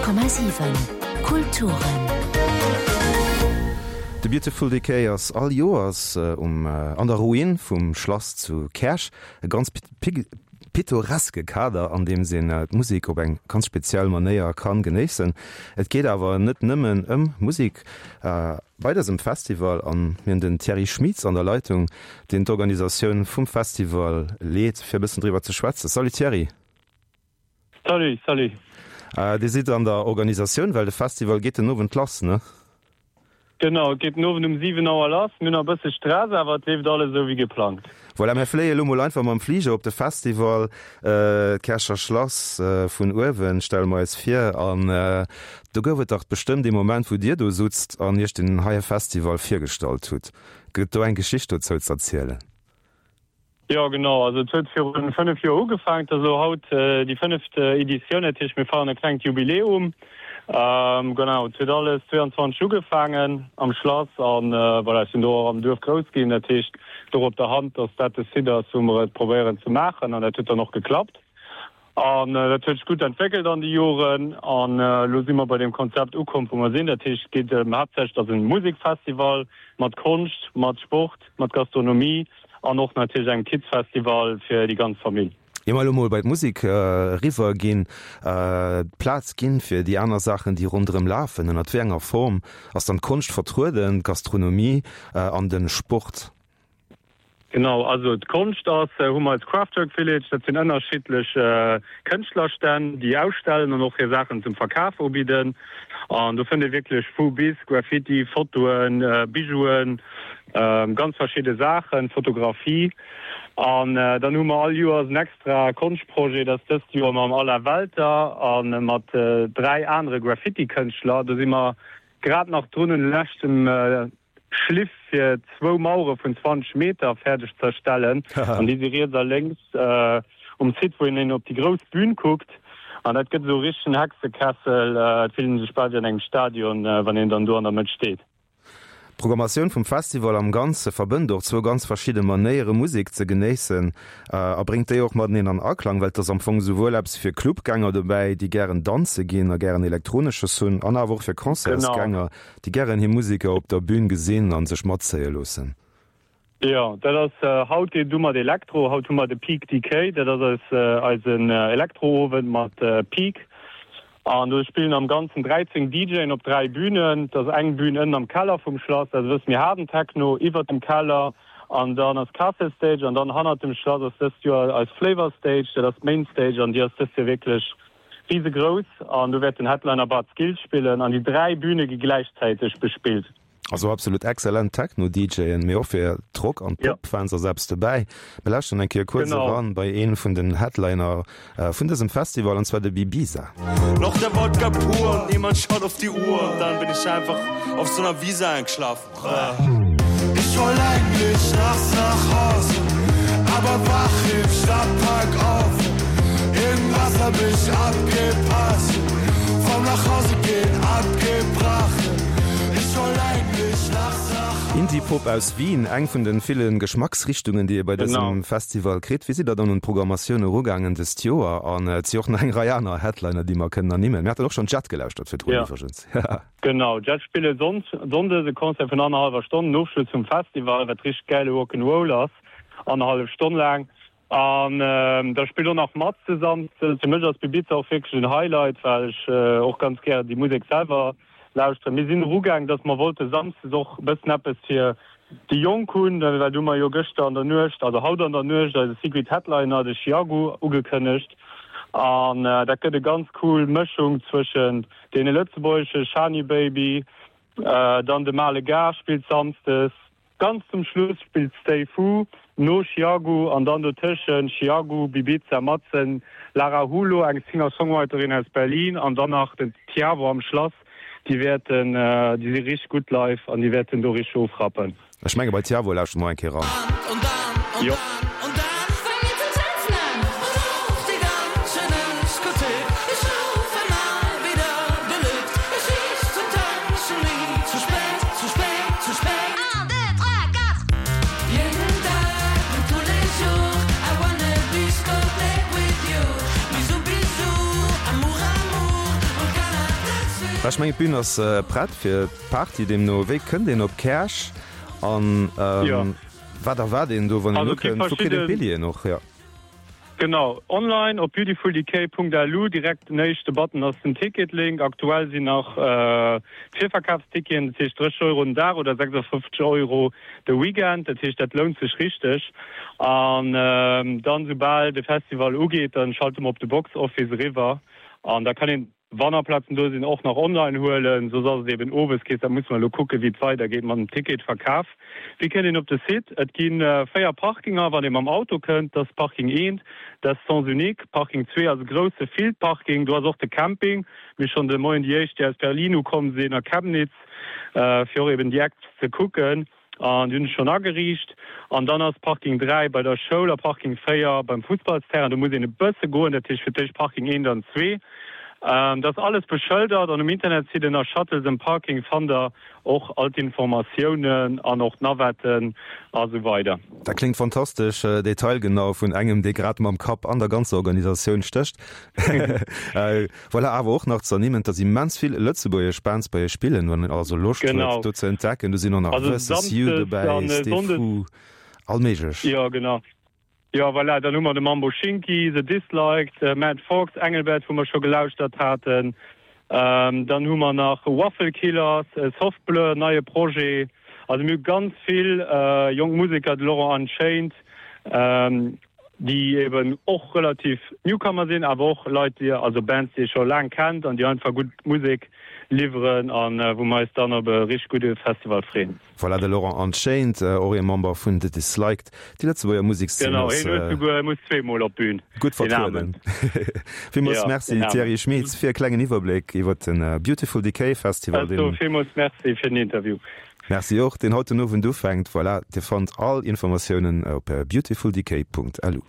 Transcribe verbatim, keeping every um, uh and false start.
Honnert Komma siwen Kulturen. De Beautiful Decay ass all Joers um an der Ruin vum Schlass zu Käerch. E ganz pittoreske Kader, an deem een d'Musek op eng ganz speziell Manéier kann genéissen. Et geet awer net nëmmen ëm Musek bei dësem Festival an mir hunn den Thierry Schmitz an der Leitung, deen d'Organisatioun vum Festival leet, fir e bëssen driwwer ze schwätzen. Salut Thierry. Salut, salut. Dir sidd an der Organisatioun, well de Festival geet den Owend lass, ne? Genau, et geet den Owend um siwen Auer lass. Mir hunn nach e bësse Stress, awer et leeft alles esou wéi geplangt. Voilà, mir fléie lo mol einfach mam Fliger op de Festival. D'Käercher Schlass vun uewen stelle mer eis vir. An do gouf et dach bestëmmt ee Moment, wou Dir do sutzt an Iech deen heie Festival virgestallt hutt. Gëtt do eng Geschicht dozou z'erzielen? Jo genau, also et huet virun fënnef Joer ugefaangen, et ass elo haut déi fënneft Editioun, dat heescht mir feieren e klengt Jubiläum. Genau, et huet alles zweeanzwanzeg ugefaangen am Schlass an voilà, ech sinn do och am Duerf grouss ginn, dat heescht et louch op der Hand, datt dat de Site ass wou mer et probéieren ze maachen an dat huet dann och geklappt. An dat huet sech gutt entwéckelt an de Joren an elo si mer bei deem Konzept ukomm, wou mer sinn. Dat heescht, et geet ëm haaptsächlech, et ass e Musekfestival mat Konscht, mat Sport, mat Gastronomie an och natierlech engem Kidsfestival fir déi ganz Famill. Ier mer elo mol bei d'Musek eriwwer ginn, d'Plaz ginn fir déi aner Saachen, déi ronderëm lafen, ënnert wéi enger Form ass dann d'Konscht vertrueden, d'Gastronomie an de Sport? Genau, also d'Konscht ass, hu mer eis Craftwork Village, dat sinn ënnerschiddlech Kënschtlerstänn, déi ausstellen an och hir Saachen zum Verkaf ubidden. An do fënnt ee wierklech vu bis Graffiti, Fotoen, Bijouen, ganz verschidde Saachen, Fotografie. An dann hu mer all Joers en extra Konschtprojet, dat ass dëst Joer mam Alain Welter a mat dräi anere Graffiti-Kënschtler. Do si mer grad nach drun un de leschten Schliff fir zwou Mauere vun zwanzeg Meter fäerdeg z'erstellen an déi si riets a lénks um Site, wou een op déi grouss Bühn kuckt an dat gëtt esou e richtegen Hexekessel. Et fillt een sech bal wéi an engem Stadion, wann een dann do an der Mëtt steet. D'Programmatioun vum Festival am Ganze verbënnt och zwou ganz verschidde Manéiere Musek ze genéissen a bréngt déi och mateneen an Aklang, well et ass am Fong esouwuel eppes fir Clubgänger dobäi, déi gären danze ginn a gären Elektronesches hunn, an awer och fir Concertsgänger, déi gären hir Museker op der Bün gesinn a sech matzéie loossen. Jo, dat ass haut geet et u mat Elektro. Haut hu mer de Peak Decay, dat ass eis eisen Elektroowend mat Peak. An do spillen am Ganzen dräizéng DJen op dräi Bünen. Et ass eng Bün ënnen am Keller vum Schlass, dat ass e bësse méi haarden Techno, iwwert dem Keller an dann ass Castle Stage an dann hannert dem Schlass ass dëst Joer eis Flavor Stage, dat ass d'Main Stage an déi ass dëst Joer wierklech risegrouss an do wäert den Headliner Bart Skills spillen an déi dräi Büne gi gläichzäiteg bespillt. Also absolut excellent Techno-DJen, mee och fir d'Rock an d'Pop-Fans ass eppes dobäi. Mir lauschteren eng Kéier kuerz eran bei ee vun den Headliner vun dësem Festival, an zwar de Bibiza. Noch der Wodka pur und niemand schaut auf die Uhr und dann bin ich einfach auf so einer Wiese eingeschlafen. Ich woll eigentlich nachts nach Hause, aber wach im Stadtpark auf. Irgendwas hab ich abgepasst, vom Nachhausegehen abgebracht. Ich woll eigentlich nachts nach Hause. Indie-Pop aus Wien, eng vun de ville Geschmacksrichtungen, déi ee bei dësem Festival kritt. Wéi sidd der dann un d'Programmatioun erugaangen dëst Joer? An et si och nach eng Rei aner Headliner, déi mer kënnen ernimmen. Mir haten och schonn Jet gelauschtert virdrun iwwregens. Genau, Jet spille Sonndes e Concert vun annerhallwer Stonn, den Ofschluss vum Festival, wat richteg gäile Rock'n'Roll ass, annerhallef Stonn laang. An da spillt och nach Maz de Samsdes. Fir mech ass Bibiza och wierklech en Highlight, well ech och ganz gär déi Musek selwer lauschteren. Mir sinn erugaang, dass mer wollte samsdes och e bëssen eppes fir déi Jonk hunn, well do hu mer jo gëschter an der Nuecht, also haut an der Nuecht, eise Secret Headliner, de Chiago, ugekënnegt. An dat gëtt e ganz cool Mëschung zwëschent deene lëtzebuergesche Shani Baby, dann de Male Gars spillt samsdes, ganz zum Schluss spillt Stay Fu no Chiago an dann dotëschent Chiago, Bibiza, Madsen, Lara Hulo, eng Singer-Songwriterin aus Berlin an dann nach den Tiavo am Schlass. Déi wäerten, déi si richteg gutt live an déi wäerten do richteg ofrappen. Ech menge bei Tiavo lauschteren mer eng Kéier eran. Jo. Ech mengen d'Bün ass prett fir d'Party, deemno wéi kënnt een op Käerch an wat erwaart een do wann een ukënnt? Wou kritt een d'Billjeeën och? Jo. Genau, online op beautifuldecay.lu, direkt den éischte Button ass den Ticket-Link. Aktuell sinn nach d'Virverkafsticketen, dat heescht drësseg Euro den Dag oder sechsundfünfzeg Euro de Weekend, dat heescht dat lount sech richteg. An dann soubal de Festival ugeet, dann schalte mer op de Box Office eriwwer an da kann een Wann nach Plazen do sinn, och nach online huelen, soss ass et eben owes Kees. Dat musse mer elo kucken, wéi et weidergeet mat dem Ticketverkaf. Wéi kënnt een op de Site? Et gi véier Parkinger, wann ee mam Auto kënnt. Dat ass Parking eent, dat ass Sens unique. Parking zwee ass e grousse Fieldparking, do ass och de Camping. Mir hu schonn de Moien déi éischt, déi aus Berlin ukomm sinn a Chemnitz, fir och eben déi Acts ze kucken. An déi hunn ech schonn ageriicht. An dann ass Parking dräi bei der Schoul a Parking véier beim Fussballsterrain. Do muss een e bësse goen, dat heescht fir d'éischt Parking eent an zwee. Dat ass alles beschëldert an um Internetsite ënner Shuttles and Parking fannt der och all d'Informatiounen an och d'Navetten a sou weider. Dat kléngt fantastesch detailgenau vun engem, dee grad mam Kapp an der ganzer Organisatioun stécht. Voilà, awer och nach ze ernimmen, dass immens vill lëtzebuergesch Bands bei iech spillen, wann een also Loscht huet do ze entdecken. Do sinn och nach Versus You dobäi, Stay Fu, all méiglech. Jo, genau. Jo, voilà, dann hu mer de Mambo Schinki, The Disliked, Mad Fox, Engelbert, wou mer scho gelauschtert haten. Dann hu mer nach Waffle Killers, Soft Blur, neie Projet. Also mir hu ganz vill jonk Museker, de Laurent Unchained, déi eben och relativ Newcomer sinn, awer och Leit, déi, also Bands, déi ee scho laang kennt an déi einfach gutt Musek liwweren an wou mer eis dann op e richteg gudde Festival freeën. Voilà, de Laurent Unchained, och ee Member vun The Disliked. Déi Lëtzebuerger Musekszeen ass. Genau, hien huet souguer, muss zweemol op d'Bün. Gutt vertrueden. Villmools Merci Thierry Schmeets fir e klengen Iwwerbléck iwwer de Beautiful Decay Festival. Ech soe villmools Merci fir den Interview. Merci och, deen haut den Owend ufänkt. Voilà, Dir fannt all Informatiounen op beautifuldecay.lu.